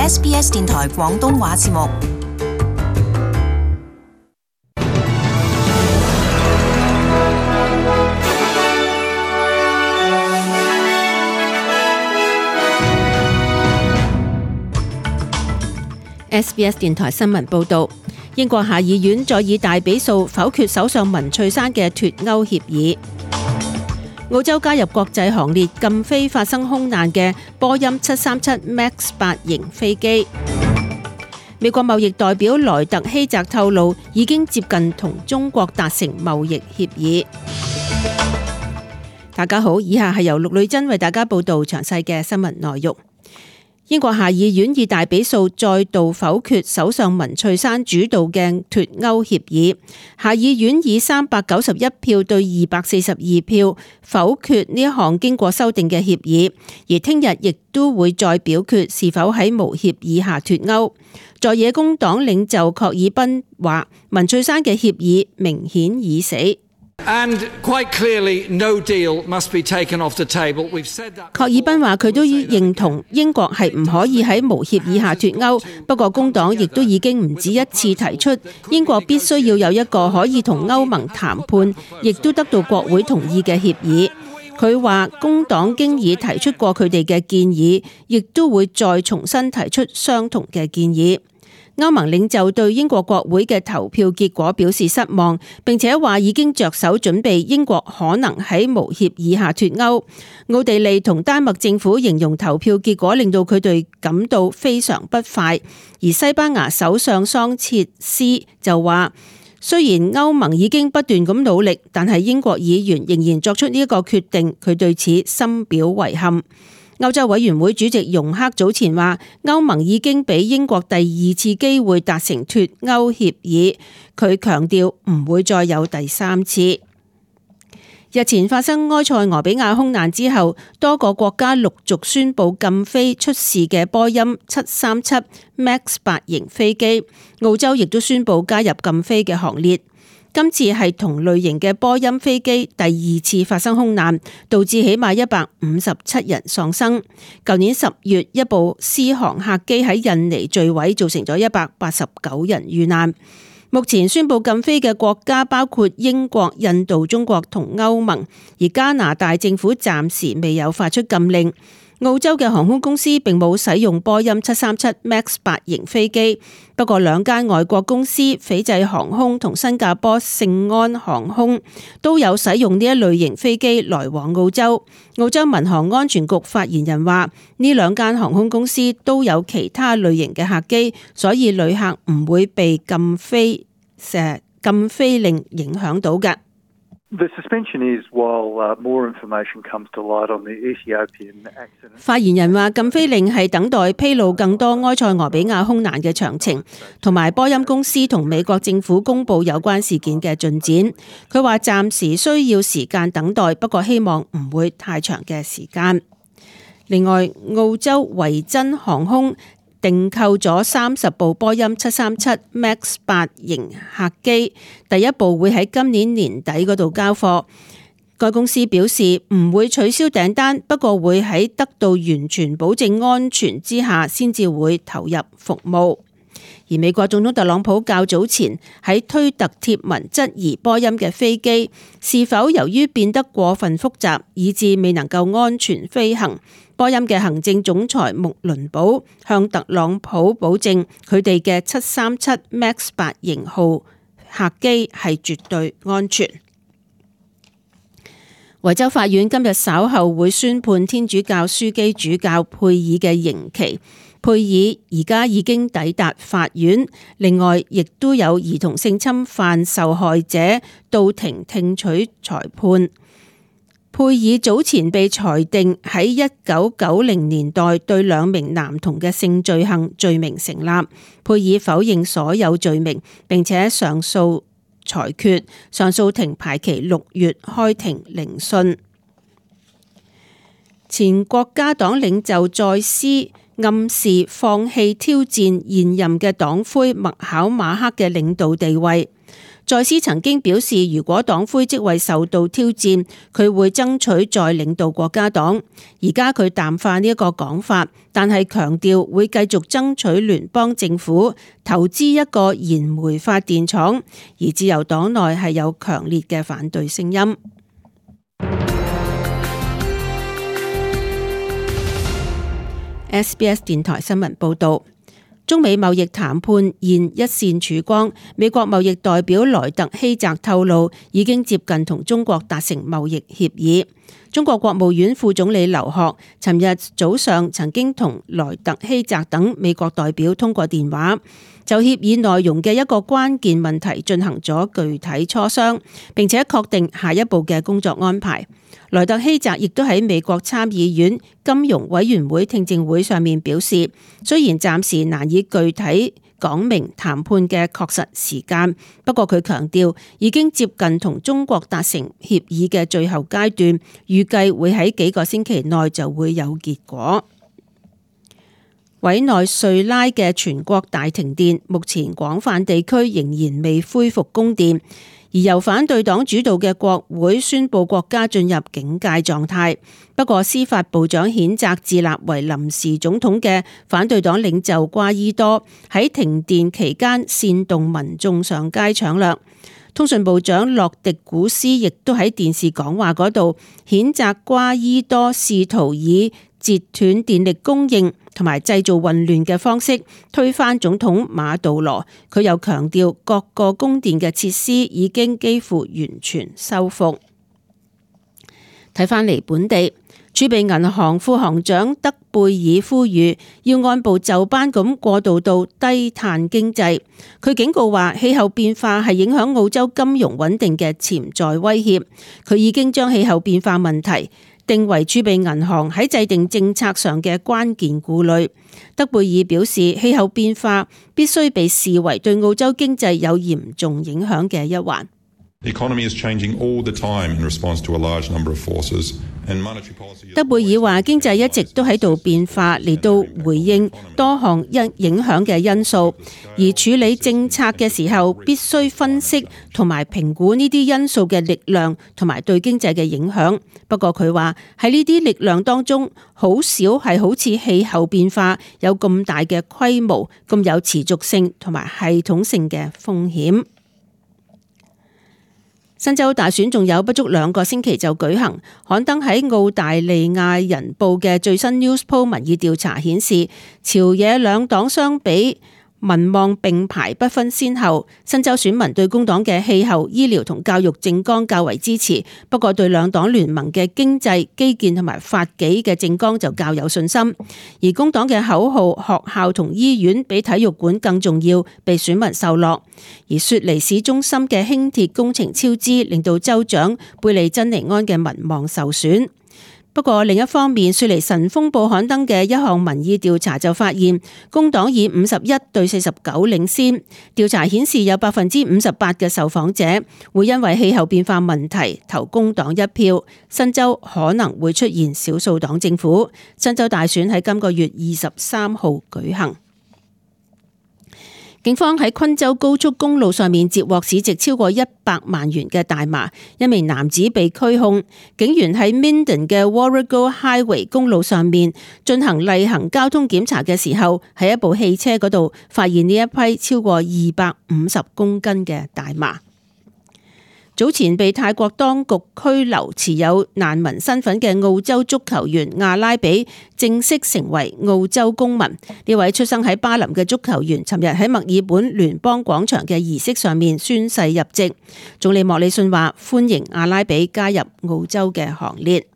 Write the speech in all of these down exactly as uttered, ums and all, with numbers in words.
S B S 電台廣東話節目。S B S 電台新聞報導，英國下議院再以大比數否決首相文翠珊嘅脫歐協議。澳洲加入國際行列，禁飛發生空難嘅波音七三七 MAX 八型飛機。美國貿易代表萊特希澤透露，已經接近同中國達成貿易協議。大家好，以下係由陸女珍為大家報道詳細嘅新聞內容。英國下議院以大比數再度否決首相文翠珊主導嘅脫歐協議，下議院以三百九十一票對二百四十二票否決呢一項經過修訂嘅協議，而聽日亦都會再表決是否喺無協議下脫歐。在野工黨領袖郝爾賓話，文翠珊嘅協議明顯已死。And quite clearly, no deal must be taken off the table. We've said that. 郝爾賓話佢都認同英國係唔可以喺無協議下脫歐，不過工黨亦都已經唔止一次提出，英國必須要有一個可以同歐盟談判，亦都得到國會同意嘅協議。佢話工黨經已提出過佢哋嘅建議，亦都會再重新提出相同嘅建議。歐盟領袖對英國國會嘅投票結果表示失望，並且話已經着手準備英國可能喺無協議下脫歐。奧地利同丹麥政府形容投票結果令到佢哋感到非常不快，而西班牙首相桑切斯就話，雖然歐盟已經不斷咁努力，但係英國議員仍然作出呢一個決定，佢對此深表遺憾。歐洲委員會主席容克早前話，歐盟已經俾英國第二次機會達成脫歐協議，佢強調唔會再有第三次。日前發生埃塞俄比亞空難之後，多個國家陸續宣布禁飛出事嘅波音七三七 MAX 八型飛機，澳洲亦都宣布加入禁飛嘅行列。今次係同類型嘅波音飛機第二次發生空難，導致起碼一百五十七人喪生。舊年十月，一部獅航客機喺印尼墜毀，造成咗一百八十九人遇難。目前宣布禁飛嘅國家包括英國、印度、中國同歐盟，而加拿大政府暫時未有發出禁令。澳洲嘅航空公司並冇使用波音七三七 MAX 八型飛機，不過兩間外國公司斐濟航空同新加坡聖安航空都有使用呢一類型飛機來往澳洲。澳洲民航安全局發言人話，呢兩間航空公司都有其他類型嘅客機，所以旅客唔會被禁飛誒禁飛令影響到嘅。The suspension is while uh, more information comes to light on the Ethiopian accident. 發言人話，禁飛令係等待披露更多埃塞俄比亞空難嘅詳情，同埋波音公司同美國政府公布有關事件嘅進展。佢話暫時需要時間等待，不過希望唔會太長嘅時間。另外，澳洲維珍航空訂購咗三十部波音七三七 MAX 八型客機，第一部會喺今年年底嗰度交貨。該公司表示唔會取消訂單，不過會喺得到完全保證安全之下先至會投入服務。而美國總統特朗普較早前喺推特貼文質疑波音嘅飛機是否由於變得過分複雜，以致未能夠安全飛行。波音嘅行政總裁穆倫堡向特朗普保證，佢哋嘅七三七 MAX 八型號客機係絕對安全。維州法院今日稍後會宣判天主教樞機主教佩爾嘅刑期。佩爾而家已經抵達法院，另外亦都有兒童性侵犯受害者到庭聽取裁判。佩爾早前被裁定喺一九九零年代對兩名男童嘅性罪行罪名成立，佩爾否認所有罪名，並且上訴裁決，上訴庭排期六月開庭聆訊。前國家黨領袖再斯暗示放棄挑戰現任嘅黨魁麥考馬克嘅領導地位。在斯曾經表示，如果黨魁職位受到挑戰，佢會爭取再領導國家黨。而家佢淡化呢一個講法，但係強調會繼續爭取聯邦政府投資一個燃煤發電廠，而自由黨內係有強烈嘅反對聲音。S B S 電台新聞報導。中美貿易談判現一線曙光，美國貿易代表萊特希澤透露，已經接近同中國達成貿易協議。中國國務院副總理劉鶴尋日早上曾經同萊特希澤等美國代表通過電話，就協議內容嘅一個關鍵問題進行咗具體磋商，並且確定下一步嘅工作安排。萊特希澤亦都喺美國參議院金融委員會聽證會上面表示，雖然暫時難以具體講明談判嘅確實時間，不過佢強調已經接近同中國達成協議嘅最後階段，預計會喺幾個星期內就會有結果。委內瑞拉嘅全國大停電，目前廣泛地區仍然未恢復供電。而由反對黨主導嘅國會宣布國家進入警戒狀態。不過司法部長譴責自立為臨時總統嘅反對黨領袖瓜伊多喺停電期間煽動民眾上街搶掠。通訊部長洛迪古斯亦都喺電視講話嗰度譴責瓜伊多試圖以截斷電力供應同埋製造混亂嘅方式推翻總統馬杜羅。佢又強調各個供電嘅設施已經幾乎完全修復。睇返嚟本地，儲備銀行副行長德貝爾呼籲要按部就班咁過渡到低碳經濟。佢警告話氣候變化係影響澳洲金融穩定嘅潛在威脅。佢已經將氣候變化問題定為儲備銀行喺制定政策上嘅關鍵顧慮。德貝爾表示，氣候變化必須被視為對澳洲經濟有嚴重影響嘅一環。德貝爾話：經濟一直都喺度變化，嚟到回應多項因影響嘅因素，而處理政策嘅時候必須分析同埋評估呢啲因素嘅力量同埋對經濟嘅影響。不過佢話喺呢啲力量當中，好少係好似氣候變化有咁大嘅規模、咁有持續性同埋系統性嘅風險。新州大選仲有不足兩個星期就舉行，刊登喺澳大利亞人報嘅最新 Newspoll 民意調查顯示，朝野兩黨相比，民望並排不分先後。新州選民對工黨嘅氣候、醫療同教育政綱較為支持，不過對兩黨聯盟嘅經濟、基建同埋法紀嘅政綱就較有信心。而工黨嘅口號學校同醫院比體育館更重要，被選民受落。而雪梨市中心嘅輕鐵工程超支，令到州長貝利珍尼安嘅民望受損。不過另一方面，雪梨晨鋒報刊登嘅一項民意調查就發現，工黨以五十一對四十九領先。調查顯示有百分之五十八嘅受訪者會因為氣候變化問題投工黨一票。新州可能會出現少數黨政府。新州大選喺今個月二十三號舉行。警方喺昆州高速公路上面截獲市值超過一百萬元嘅大麻，一名男子被拘控。警員喺 Minden 嘅 Warrego Highway 公路上面進行例行交通檢查嘅時候，喺一部汽車嗰度發現呢一批超過二百五十公斤嘅大麻。早前被泰國當局拘留持有難民身份嘅澳洲足球員阿拉比正式成為澳洲公民。呢位出生喺巴林嘅足球員尋日喺墨爾本聯邦廣場嘅儀式上面宣誓入籍。總理莫里遜話歡迎阿拉比加入澳洲嘅行列。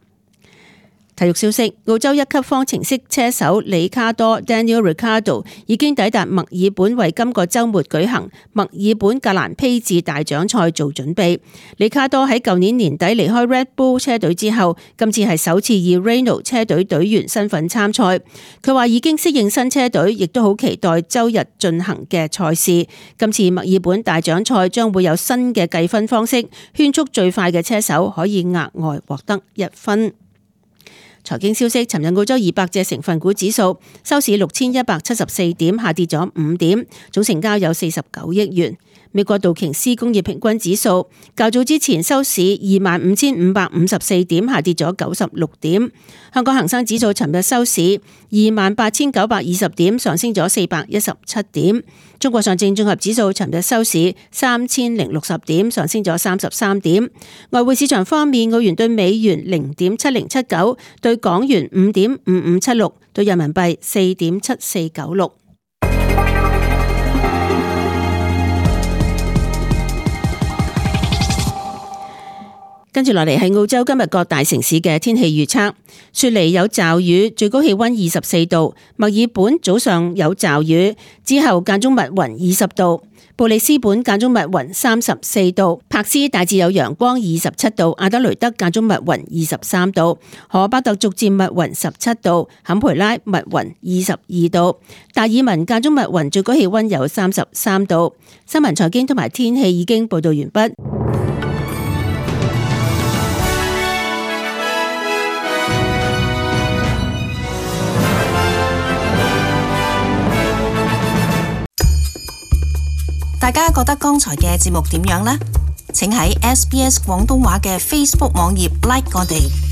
體育消息，澳洲一級方程式車手里卡多 Daniel Ricciardo 已經抵達墨爾本，為今個週末舉行墨爾本格蘭披治大獎賽做準備。里卡多喺舊年年底離開 Red Bull 車隊之後，今次係首次以 Renault 車隊隊員身份參賽。佢話已經適應新車隊，亦都好期待周日進行嘅賽事。今次墨爾本大獎賽將會有新嘅計分方式，圈速最快嘅車手可以額外獲得一分。財經消息，尋日澳洲二百隻成分股指數收市六千一百七十四點，下跌咗五點，總成交有四十九億元。美國道瓊斯工業平均指數較早之前收市二萬五千五百五十四點，下跌咗九十六點。香港恒生指數尋日收市二萬八千九百二十點，上升咗四百一十七點。中國上證綜合指數尋日收市三千零六十點，上升咗三十三點。外匯市場方面，澳元對美元零點七零七九，對港元五點五五七六，對人民幣四點七四九六。跟住落嚟係澳洲今日各大城市嘅天氣預測。雪梨有驟雨，最高氣溫二十四度；墨爾本早上有驟雨，之後間中密雲二十度；布里斯本間中密雲三十四度；柏斯大致有陽光二十七度；阿德雷德間中密雲二十三度；荷巴特逐漸密雲十七度；坎培拉密雲二十二度；達爾文間中密雲，最高氣溫有三十三度。新聞財經同埋天氣已經報道完畢。大家覺得剛才嘅節目點樣呢？請喺 S B S 廣東話嘅 Facebook 網頁 like 我哋。